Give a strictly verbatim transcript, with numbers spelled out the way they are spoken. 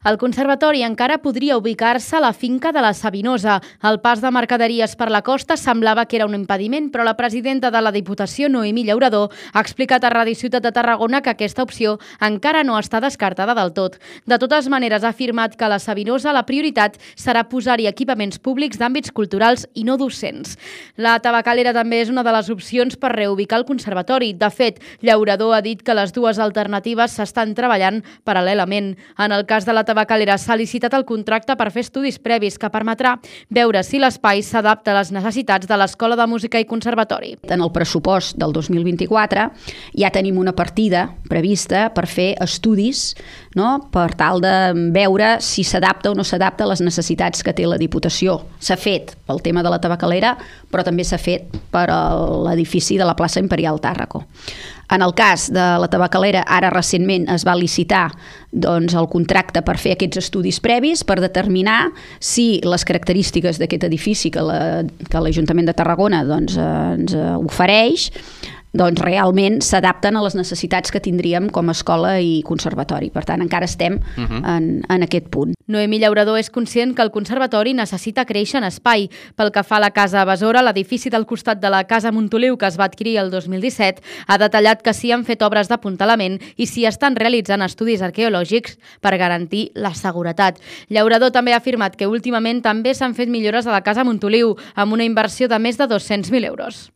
El conservatori encara podria ubicar-se a la finca de la Savinosa. El pas de mercaderies per la costa semblava que era un impediment, però la presidenta de la Diputació, Noemí Llauradó, ha explicat a Ràdio Ciutat de Tarragona que aquesta opció encara no està descartada del tot. De totes maneres, ha afirmat que a la Savinosa la prioritat serà posar-hi equipaments públics d'àmbits culturals i no docents. La tabacalera també és una de les opcions per reubicar el conservatori. De fet, Llauradó ha dit que les dues alternatives s'estan treballant paral·lelament. En el cas de la tabacalera s'ha licitat el contracte per fer estudis previs que permetrà veure si l'espai s'adapta a les necessitats de l'Escola de Música i Conservatori. En el pressupost del dos mil vint-i-quatre ja tenim una partida prevista per fer estudis, no?, per tal de veure si s'adapta o no s'adapta a les necessitats que té la Diputació. S'ha fet pel tema de la tabacalera, però també s'ha fet per a l'edifici de la plaça Imperial Tàrraco. En el cas de la tabacalera, ara recentment es va licitar doncs, el contracte per fer aquests estudis previs per determinar si les característiques d'aquest edifici que l'Ajuntament de Tarragona doncs, ens ofereix doncs realment s'adapten a les necessitats que tindríem com a escola i conservatori. Per tant, encara estem uh-huh. en, en aquest punt. Noemí Llauradó és conscient que el conservatori necessita créixer en espai. Pel que fa a la Casa Besora, l'edifici del costat de la Casa Montoliu, que es va adquirir el dos mil disset, ha detallat que s'hi han fet obres d'apuntalament i s'hi estan realitzant estudis arqueològics per garantir la seguretat. Llauradó també ha afirmat que últimament també s'han fet millores a la Casa Montoliu, amb una inversió de més de dos-cents mil euros.